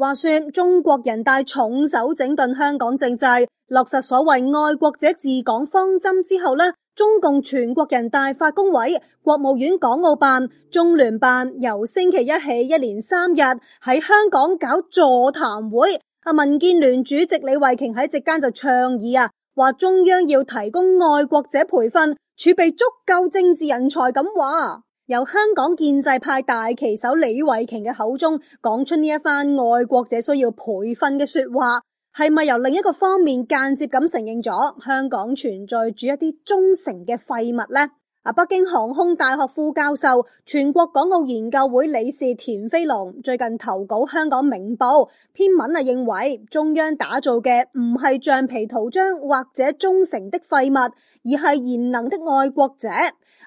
話說中國人大重手整頓香港政制，落實所謂愛國者治港方針之後呢，中共全國人大法工委、國務院港澳辦、中聯辦由星期一起一連3日喺香港搞座談會。民建聯主席李慧瓊喺席間就倡議話中央要提供愛國者培訓，儲備足夠政治人才咁話。由香港建制派大旗手李慧瓊嘅口中講出呢一番愛國者需要培訓嘅說話，係咪由另一個方面間接咁承認咗香港存在住一啲忠誠嘅廢物呢？北京航空大學副教授、全國港澳研究會理事田飛龍最近投稿香港明報篇文認為中央打造嘅唔係橡皮圖章或者忠誠的廢物，而係賢能的愛國者。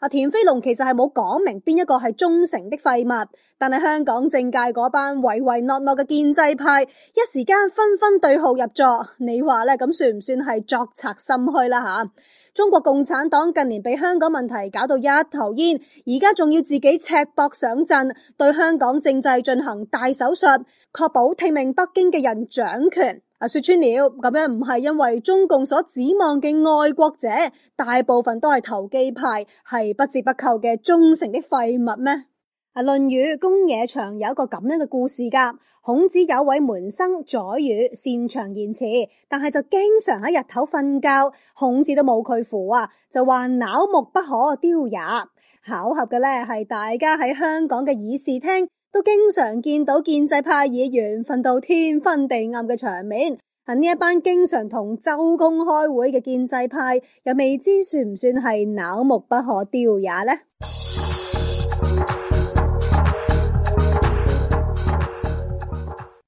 田飛龍其實係冇講明邊一個係忠誠的廢物，但係香港政界嗰班唯唯諾諾嘅建制派一時間紛紛對號入座，你話呢，咁算唔算係作賊心虛啦吓？中國共產黨近年被香港問題搞到一頭煙，而家仲要自己赤膊上陣，對香港政制進行大手術，確保聽命北京嘅人掌權。說穿了，咁樣唔係因為中共所指望嘅愛國者大部分都係投機派，係不折不扣嘅忠誠的廢物咩？論語公冶長有一個咁樣嘅故事噶。孔子有位門生宰予，擅長言辭，但係就經常喺日頭瞓覺，孔子都冇佢符就話朽木不可雕也。巧合嘅呢係大家喺香港嘅議事廳都經常見到建制派議員瞓到天昏地暗嘅場面。呢一班經常同周公開會嘅建制派，又未知算唔算係朽木不可雕也呢？